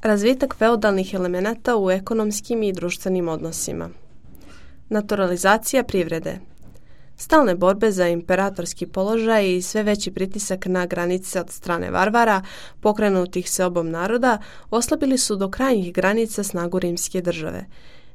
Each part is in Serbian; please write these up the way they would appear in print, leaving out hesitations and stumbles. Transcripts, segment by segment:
Razvitak feudalnih elemenata u ekonomskim i društvenim odnosima. Naturalizacija privrede. Stalne borbe za imperatorski položaj i sve veći pritisak na granice od strane varvara, pokrenutih seobom naroda, oslabili su do krajnjih granica snagu rimske države.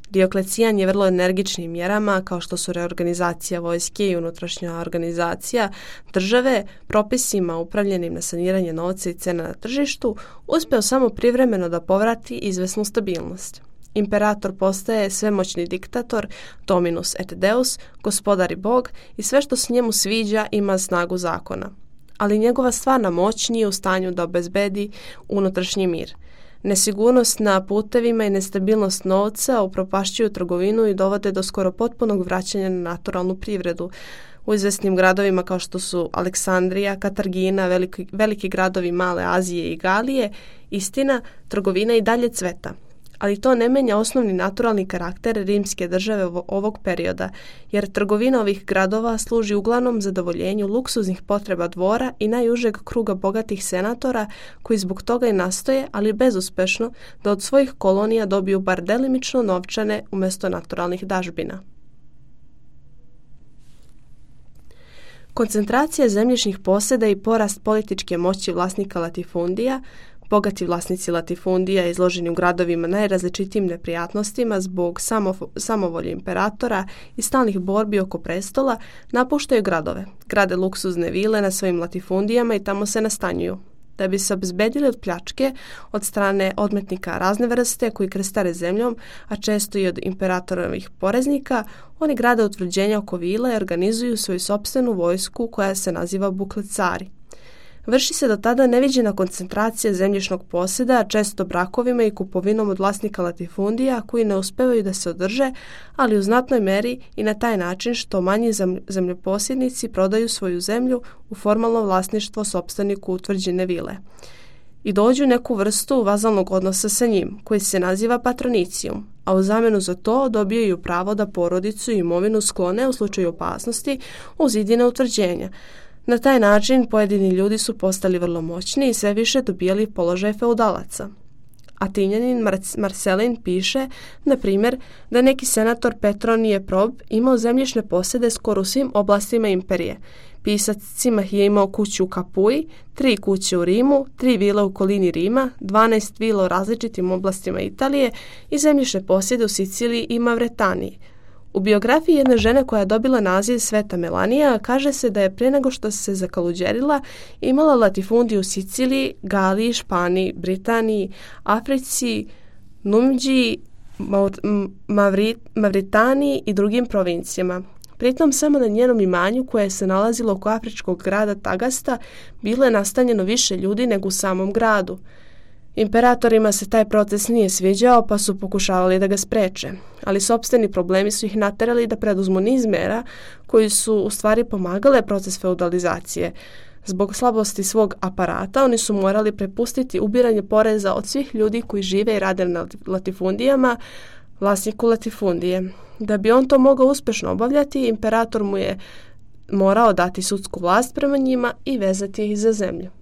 Dioklecijan je vrlo energičnim mjerama, kao što su reorganizacija vojske i unutrašnja organizacija države, propisima upravljenim na saniranje novca i cena na tržištu, uspeo samo privremeno da povrati izvesnu stabilnost. Imperator postaje svemoćni diktator, dominus et deus, gospodar i bog, i sve što se njemu sviđa ima snagu zakona. Ali njegova stvarna moć nije u stanju da obezbedi unutrašnji mir. Nesigurnost na putevima i nestabilnost novca upropašćuju trgovinu i dovode do skoro potpunog vraćanja na naturalnu privredu. U izvesnim gradovima kao što su Aleksandrija, Katargina, veliki gradovi Male Azije i Galije, istina, trgovina i dalje cveta. Ali to ne menja osnovni naturalni karakter rimske države ovog perioda, jer trgovina ovih gradova služi uglavnom zadovoljenju luksuznih potreba dvora i najužeg kruga bogatih senatora, koji zbog toga i nastoje, ali bezuspešno, da od svojih kolonija dobiju bar delimično novčane umjesto naturalnih dažbina. Koncentracija zemljišnih posjeda i porast političke moći vlasnika latifundija. Bogati vlasnici latifundija izloženi u gradovima najrazličitijim neprijatnostima zbog samovolje imperatora i stalnih borbi oko prestola, napuštaju gradove, grade luksuzne vile na svojim latifundijama i tamo se nastanjuju. Da bi se obezbedili od pljačke od strane odmetnika razne vrste koji krstare zemljom, a često i od imperatorovih poreznika, oni grade utvrđenja oko vila i organizuju svoju sopstvenu vojsku koja se naziva buklecari. Vrši se do tada neviđena koncentracija zemljišnog posjeda, često brakovima i kupovinom od vlasnika latifundija koji ne uspevaju da se održe, ali u znatnoj meri i na taj način što manji zemljoposjednici prodaju svoju zemlju u formalno vlasništvo sopstveniku utvrđene vile i dođu u neku vrstu vazalnog odnosa sa njim, koji se naziva patronicijum, a u zamjenu za to dobijaju pravo da porodicu i imovinu sklone u slučaju opasnosti uz idine utvrđenja. Na taj način pojedini ljudi su postali vrlo moćni i sve više dobijali položaj feudalaca. Atinjanin Marcelin piše, na primjer, da neki senator Petronije Prob imao zemljišne posjede skoro u svim oblastima imperije. Pisac Cimah je imao kuću u Kapuji, 3 kuće u Rimu, 3 vile u okolini Rima, 12 vila u različitim oblastima Italije i zemljišne posjede u Siciliji i Mavretaniji. U biografiji jedne žene koja je dobila naziv Sveta Melanija kaže se da je prije nego što se zakaluđerila imala latifundiju u Siciliji, Galiji, Španiji, Britaniji, Africi, Numidžiji, Mavritaniji i drugim provincijama. Pritom samo na njenom imanju koje se nalazilo oko afričkog grada Tagasta bilo je nastanjeno više ljudi nego u samom gradu. Imperatorima se taj proces nije sviđao pa su pokušavali da ga spreče, ali sopstveni problemi su ih naterali da preduzmu niz mera koji su u stvari pomagale proces feudalizacije. Zbog slabosti svog aparata oni su morali prepustiti ubiranje poreza od svih ljudi koji žive i rade na latifundijama vlasniku latifundije. Da bi on to mogao uspješno obavljati, imperator mu je morao dati sudsku vlast prema njima i vezati ih za zemlju.